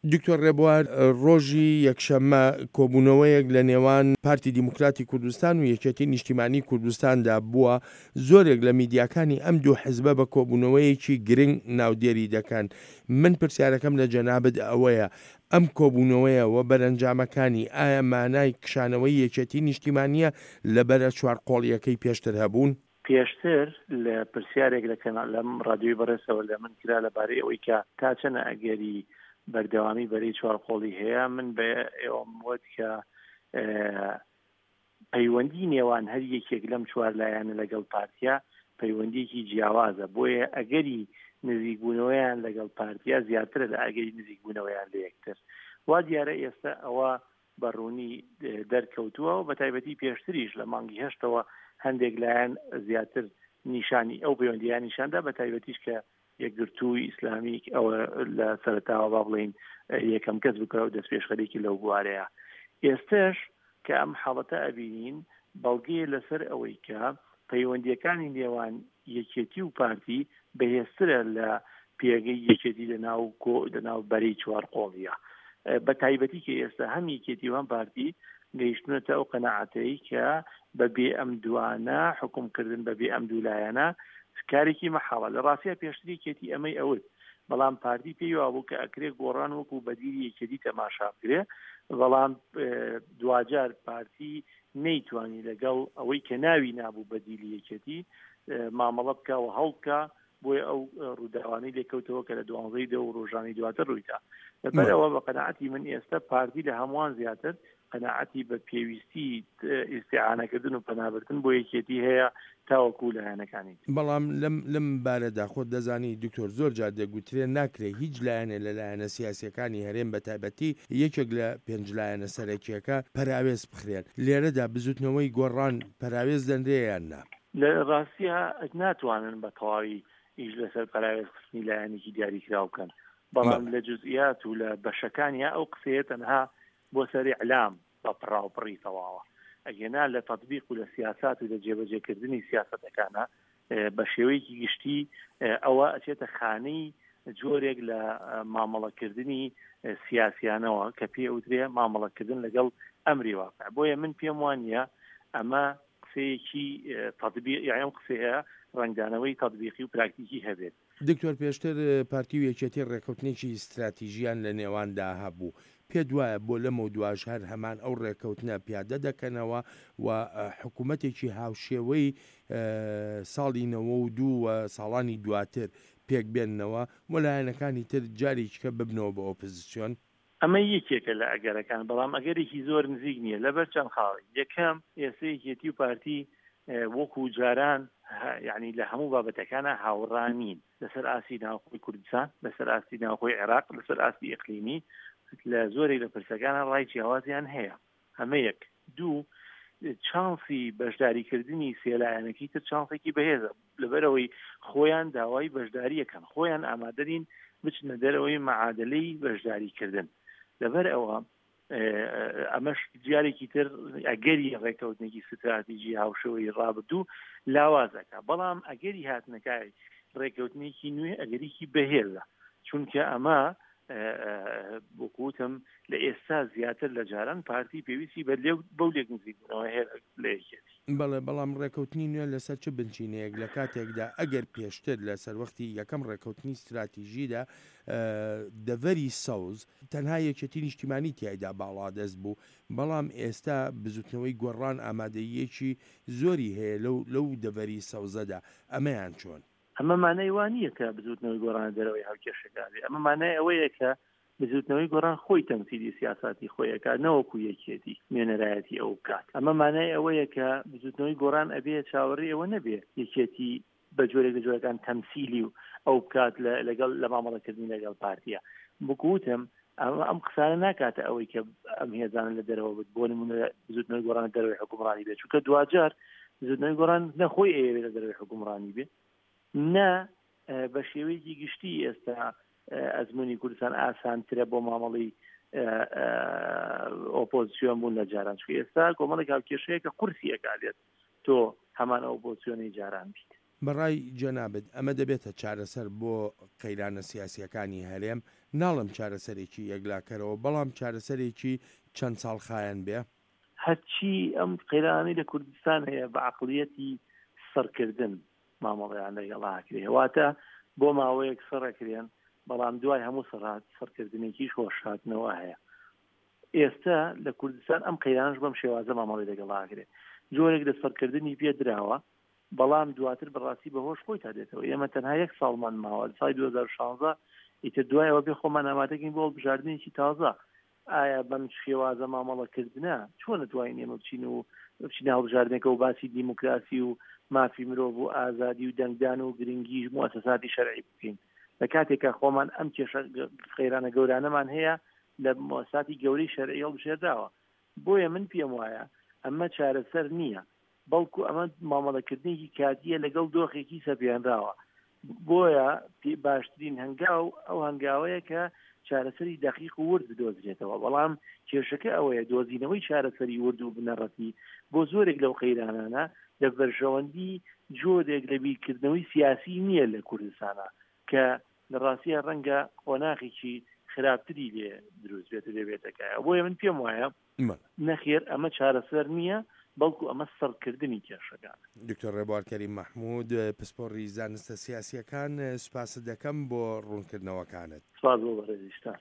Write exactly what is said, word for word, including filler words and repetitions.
دکتۆر ڕێبوار، ڕۆژی یەکشەممە کۆبوونەوەیەک لە نێوان پارتی دیموکراتی کوردستان و یەکێتی نیشتیمانی کوردستاندا بووە، زۆرێک لە میدیاکانی ئەم دوو حزبە بە کۆبوونەوەیەکی گرنگ ناودێری دەکەن. من پرسیارەکەم لە جەنابت ئەوەیە، ئەم کۆبوونەوەیە و بەرەنجامەکانی ئایا مانای کشانەوەی یەکێتی نیشتیمانییە لە بەرە چوارقۆڵییەکەی پێشتر هەبوون؟ پێشتر لە پرسیارێک لە کەناڵ لەم ڕادیۆی بەڕێزەوە لە من کرا لەبارەی ئەوەی کە تا چەند ئەگەری بەردەوامی بەرەی چوارقۆڵی هەیە، من بە ئێوەم وت کە پەیوەندی نێوان هەر یەکێک لەم چوار لایەنە لەگەڵ پارتیا پەیوەندیەکی جیاوازە، بۆیە ئەگەری نزیکبوونەوەیان لەگەڵ پارتیا زیاترە لە ئەگەری نزیکبوونەوەیان لە یەکتر. وا دیارە ئێستا ئەوە بە ڕوونی دەرکەوتووە و بە تایبەتی پێشتریش لە مانگی هەشتەوە هەندێک لایەن زیاتر نیشانی ئەو پەیوەندیان نیشاندا، بە تایبەتیش کە یەکگرتووی ئیسلامی ئەوە لە سەرەتاوە با بڵێین یەکەم کەس بکە و دەستپێشخەرێکی لەو بوارەیە. ئێستش کە ئەم حاڵەتە ئەبینین بەڵگەیە لەسەر ئەوەی کە پەیوەندیەکانی نێوان یەکێتی و پارتی بەهێزترە لە پێگەی یەکێتی لە ناو کۆ لە ناو بەرەی چوار قۆڵیە، بە تایبەتی کە ئێستا هەم یەکێتی و هەم پارتی گەیشتونەتە ئەو قەناعەتەی کە بە بێ ئەم دوانە حکومکردن بە بێ ئەم دوو لایەنە کارێکی مەحاڵە. لە ڕاستیا پێشتر یەکێتی ئەمەی ئەوت، بەڵام پارتی پێی وابوو کە ئەکرێ گۆڕان وەکو بەدیلی یەکێتی تەماشا بکرێ، بەڵام دواجار پارتی نەیتوانی لەگەڵ ئەوەی کە ناوی نابوو بەدیلی یەکێتی مامەڵە بکە و هەڵ بکە، بۆیە ئەو ڕووداوانەی لێکەوتەوە کە لە دوانزەی دە و ڕۆژانی دواتر ڕوویدا. لەبەرئەوە بە قەناعەتی من ئێستا پارتی لە هەمووان زیاتر قەناعەتی بە پێویستی ئیستیعانەکردن و پەنابردن بۆ یەکێتی هەیە تاوەکو لایەنەکانی تر. بەڵام لەم لەم بارەدا خۆت دەزانی دکتۆر زۆر جار دەگوترێ ناکرێ هیچ لایەنێ لە لایەنە سیاسیەکانی هەرێم بە تایبەتی یەکێک لە پێنج لایەنە سەرەکیەکە پەراوێز بخرێن، لێرەدا بزوتنەوەی گۆڕان پەراوێز دەنرێ یان نا؟ لە ڕاستیا ناتوانن بە تەواوی ئیش لەسەر پەراوێز خستنی لایەنێکی دیاریکراو بکەن، بەڵام لە جزئیات و لە بەشەکانیا ئەو قسەیە تەنها بۆ سەر ئیعلام بە پڕاوپڕی تەواوە، ئەگەنا لە تەتبیق و لە سیاسات و لە جێبەجێکردنی سیاسەتەکانە بە شێوەیەکی گشتی ئەوە ئەچێتە خانەی جۆرێک لە مامەڵەکردنی سیاسیانەوە کە پێ ئەوترێ مامەڵەکردن لەگەڵ ئەمری واقع. بۆیە من پێم وانە ئەمە قسەیەکی تەتبیق، یان ئەم قسەیە ڕەنگدانەوەی تەتبیقی و پراکتیکی هەبێت. دکتۆر پێشتر پارتی و یەکێتی ڕێکەوتنێکی ستراتیژیان لە نێواندا هەبوو، پێت وایە بۆ لەمەودواش هەر هەمان ئەو ڕێکەوتنە پیادە دەکەنەوە و حکومەتێکی هاوشێوەی ساڵی نەوە و دوو و ساڵانی دواتر پێک بێننەوە و لایەنەکانی تر جارێکیکە ببنەوە بە ئۆپزسیۆن؟ ئەمە یەکێکە لە ئەگەرەکان، بەڵام ئەگەرێکی زۆر نزیک نییە لەبەر چەند خاڵێک. یەکەم، ئێستا یەکێتی و پارتی وەکو جاران یعنی لە هەموو بابەتەکانە هاوڕا نین، لەسەر ئاستی ناوخۆی کوردستان، لەسەر ئاستی ناوخۆی عێراق، لەسەر ئاستی ئیقلیمی لە زۆرێک لە پرسەکانە ڕای جیاوازیان هەیە. ئەمە یەک. دوو، چانسی بەشداریکردنی سێلایەنەکەی تر چانسێکی بەهێزە، لەبەرەوەی خۆیان داوای بەشداریەکەن، خۆیان ئامادەنین بچنە دەرەوەی معادلەی بەشداریکردن. لەبەر ئەوە ئەمەش جارێکی تر ئەگەری ڕێککەوتنێکی ستراتیژی هاوشێوەی ڕابردوو لاوازەکە، بەڵام ئەگەری هاتنەکای ڕێککەوتنێکی نوێ ئەگەریکی بەهێزە، چونکە ئەمە وەکوتم لە ئێستا زیاتر لە جاران پارتی پێویستی بە بەو لێک نزیکبوونەوە هەیە لە یەکێتی. بەڵێ، بەڵام ڕێکەوتنی نوێ لەسەر چ بنچینەیەک لە کاتێکدا ئەگەر پێشتر لە سەروەختی یەکەم ڕێکەوتنی ستراتیژیدا دەڤەری سەوز تەنها یەکێتی نیشتیمانی تیایدا باڵادەست بوو، بەڵام ئێستا بزوتنەوەی گۆڕان ئامادەییەکی زۆری هەیە لەو لەو دەڤەری سەوزەدا، ئەمەیان چۆن؟ ئەمە مانای وا نییە کە بزوتنەوەی گۆڕان دەرەوەی هاوکێشەکە بێ، ئەمە مانای ئەوەیە کە بزوتنەوەی گۆڕان خۆی تەمسیلی سیاساتی خۆی ئەکات نەوەکو یەکێتی نوێنەرایەتی ئەو بکات. ئەمە مانای ئەوەیە کە بزوتنەوەی گۆڕان ئەبێ چاوەڕێی ئەوە نەبێ یەکێتی بە جۆرێک لە جۆرەکان تەمسیلی و ئەو بکات لەگەڵ لە مامەڵەکردنی لەگەڵ پارتیە. بکوتم ئەمە ئەم قسانە ناکاتە ئەوەی کە ئەم هێزانە لە دەرەوە بێت، بۆ نمونە بزوتنەوەی گۆڕان لە دەرەوەی حکومڕانی بێت، چونکە دواجار بزوتنەوەی گۆڕان نە خۆی ئەیەوێت لە دەرەوەی حکومڕانی بێ، نە بە شێوەیەکی گشتی ئێستا ئەزمموی کوردستان ئاسانترە بۆ مامەڵی ئۆپۆزیسیۆن بوون لە جاران، چونکە ئێستا کۆمەڵێک هاوکێشەیە کە قورسی ئەکالێت تۆ هەمان ئۆپۆزیسیۆنی جاران بیت. بەڕای جەنابت ئەمە دەبێتە چارەسەر بۆ قەیرانە سیاسیەکانی هەرێم ناڵێم چارەسەرێکی یەکلاکەرەوە، بەڵام چارەسەرێکی چەند ساڵ خایەن بێ؟ هەرچی ئەم قەیرانەی لە کوردستان هەیە بە عەقڵیەتی سڕکردن مامەڵەیان لەگەڵا ئەکرێ، واتە بۆ ماوەیەک سڕ ئەکرێن، بەڵام دوای هەموو سڕات سڕکردنێکیش هۆشهاتنەوە هەیە. ئێستا لە کوردستان ئەم قەیرانەش بەم شێوازە مامەڵەی لەگەڵا ئەکرێ، جۆرێک لە سڕکردنی پێ دراوە، بەڵام دواتر بەڕاستی بە هۆش خۆی تا دێتەوە. ئێمە تەنها یەک ساڵمان ماوە لە ساڵی دوو هەزار و شازدە، ئیتر دوای ئەوە بێ خۆمان ئامادەکەین بۆ هەڵبژاردنێکی تازە. ئایا بەم شێوازە مامەڵەکردنە چۆن ئەتوانین ئێمە بچین و بچینە هەڵبژاردنێکەوە و باسی دیموکراسی و مافی مرۆڤ و ئازادی و دەنگدان و گرنگی موئەسەساتی شەرعی بکەین لە کاتێکا خۆمان ئەم کێشە قەیرانە گەورانەمان هەیە لە موئەسەساتی گەورەی شەرعی هەڵبژێردراوە. بۆیە من پێم وایە ئەمە چارەسەر نییە، بەڵکو ئەمە مامەڵەکردنێکی کاتییە لەگەڵ دۆخێکی سەپێنراوە. بۆیە باشترین هەنگاو ئەو هەنگاوەیە کە چارەسەری دەقیق و ورد بدۆزرێتەوە، بەڵام کێشەکە ئەوەیە دۆزینەوەی چارەسەری ورد و بنەڕەتی بۆ زۆرێک لەو قەیرانانە لە بەرژەوەندی جۆرێک لە بیرکردنەوەی سیاسی نییە لە کوردستانا کە لە ڕاستیا ڕەنگە قۆناغێکی خراپتری لێ دروست بێت و لێ بێتە کایەوە. بۆیە من پێم وایە نەخێر ئەمە چارەسەر نییە، بەڵکو ئەمە سڕکردنی کێشەکانە. دکتۆر ڕێبوار کەریم مەحمود، پسپۆڕی زانستە سیاسییەکان، سوپاست دەکەم بۆ ڕوونکردنەوەکانت. سوپاس بۆ بەڕێزیشتان.